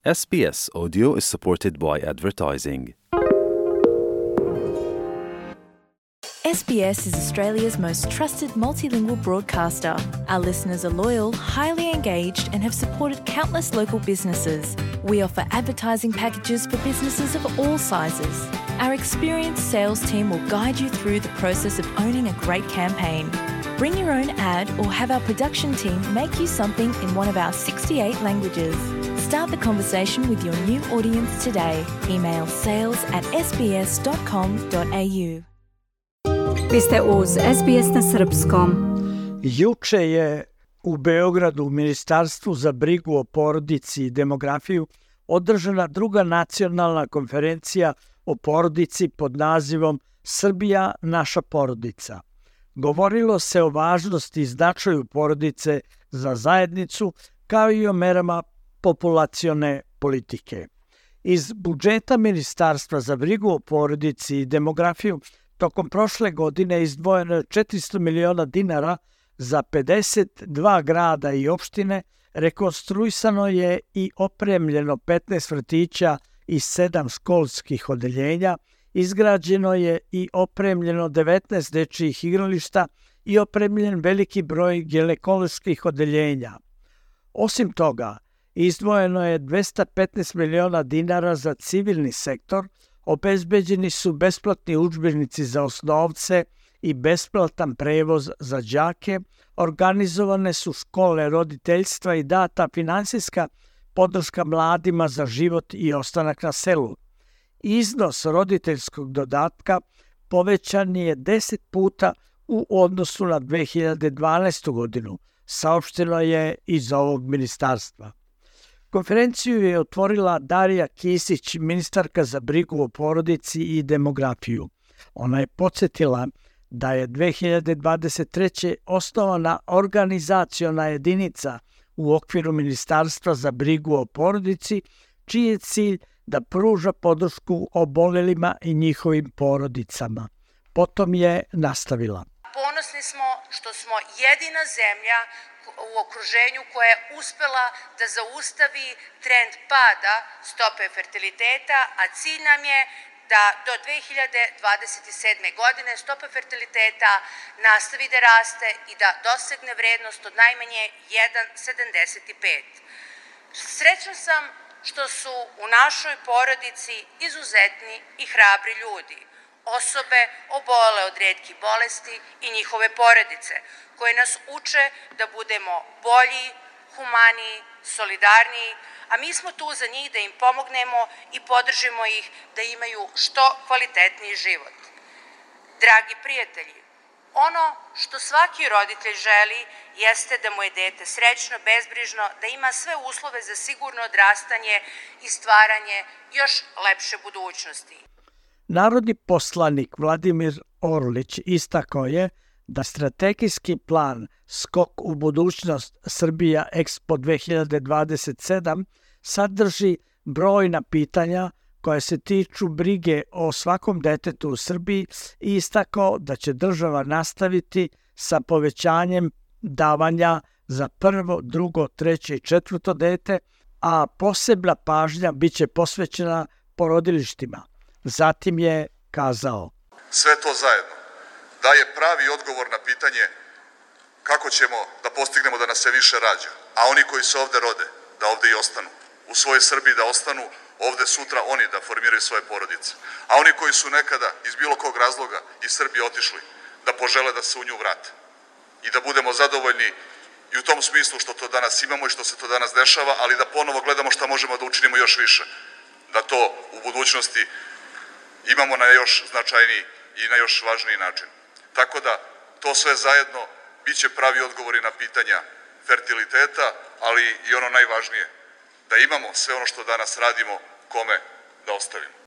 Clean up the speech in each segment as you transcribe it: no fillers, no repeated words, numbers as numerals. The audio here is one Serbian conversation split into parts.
SBS Audio is supported by advertising. SBS is Australia's most trusted multilingual broadcaster. Our listeners are loyal, highly engaged, and have supported countless local businesses. We offer advertising packages for businesses of all sizes. Our experienced sales team will guide you through the process of owning a great campaign. Bring your own ad or have our production team make you something in one of our 68 languages. Start the conversation with your new audience today. Email sales@sbs.com.au. Vi ste uz SBS na srpskom. Juče je u Beogradu u Ministarstvu za brigu o porodici i demografiju održana druga nacionalna konferencija o porodici pod nazivom Srbija naša porodica. Govorilo se o važnosti i značaju porodice za zajednicu, kao i o merama populacione politike. Iz budžeta Ministarstva za brigu o porodici i demografiju tokom prošle godine izdvojeno je 400 miliona dinara za 52 grada i opštine, rekonstruisano je i opremljeno 15 vrtića i 7 školskih odeljenja, izgrađeno je i opremljeno 19 dečijih igrališta i opremljen veliki broj ginekoloških odeljenja. Osim toga, izdvojeno je 215 miliona dinara za civilni sektor, obezbeđeni su besplatni udžbenici za osnovce i besplatan prevoz za đake, organizovane su škole roditeljstva i data finansijska podrška mladima za život i ostanak na selu. Iznos roditeljskog dodatka povećan je 10 puta u odnosu na 2012. godinu, saopšteno je iz ovog ministarstva. Konferenciju je otvorila Darija Kisić, ministarka za brigu o porodici i demografiju. Ona je podsjetila da je 2023. osnovana organizaciona jedinica u okviru Ministarstva za brigu o porodici, čiji je cilj da pruža podršku obolelima i njihovim porodicama. Potom je nastavila. Ponosni smo što smo jedina zemlja u okruženju koja je uspela da zaustavi trend pada stope fertiliteta, a cilj nam je da do 2027. godine stopa fertiliteta nastavi da raste i da dosegne vrednost od najmanje 1,75. Srećna sam što su u našoj porodici izuzetni i hrabri ljudi, osobe obole od retkih bolesti i njihove porodice, koje nas uče da budemo bolji, humaniji, solidarniji, a mi smo tu za njih da im pomognemo i podržimo ih da imaju što kvalitetniji život. Dragi prijatelji, ono što svaki roditelj želi jeste da mu je dete srećno, bezbrižno, da ima sve uslove za sigurno odrastanje i stvaranje još lepše budućnosti. Narodni poslanik Vladimir Orlić istakao je da strategijski plan Skok u budućnost Srbija Expo 2027 sadrži brojna pitanja koje se tiču brige o svakom detetu u Srbiji i istakao da će država nastaviti sa povećanjem davanja za prvo, drugo, treće i četvrto dete, a posebna pažnja biće posvećena porodilištima. Zatim je kazao: sve to zajedno daje pravi odgovor na pitanje kako ćemo da postignemo da nas se više rađa, a oni koji se ovde rode, da ovde i ostanu. U svojoj Srbiji da ostanu, ovde sutra oni da formiraju svoje porodice. A oni koji su nekada iz bilo kog razloga iz Srbije otišli, da požele da se u nju vrate. I da budemo zadovoljni i u tom smislu što to danas imamo i što se to danas dešava, ali da ponovo gledamo šta možemo da učinimo još više. Da to u budućnosti imamo na još značajniji i na još važniji način. Tako da to sve zajedno biće pravi odgovori na pitanja fertiliteta, ali i ono najvažnije, da imamo sve ono što danas radimo, kome da ostavimo.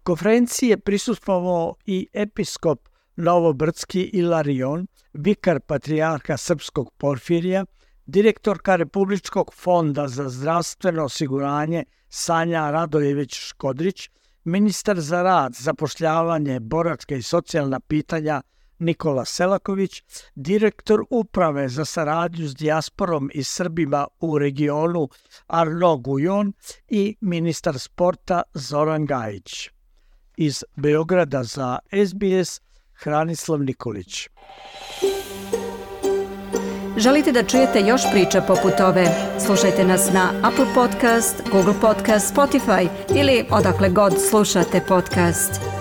Konferenciji je prisustvovao i episkop Novobrdski Ilarion, vikar patrijarha Srpskog Porfirija, direktorka Republičkog fonda za zdravstveno osiguranje Sanja Radojević-Škodrić, ministar za rad, zapošljavanje, boračka i socijalna pitanja Nikola Selaković, direktor uprave za saradnju s dijasporom i Srbima u regionu Arno Gujon i ministar sporta Zoran Gajić. Iz Beograda za SBS, Hranislav Nikolić. Želite da čujete još priča poput ove? Slušajte nas na Apple Podcast, Google Podcast, Spotify ili odakle god slušate podcast.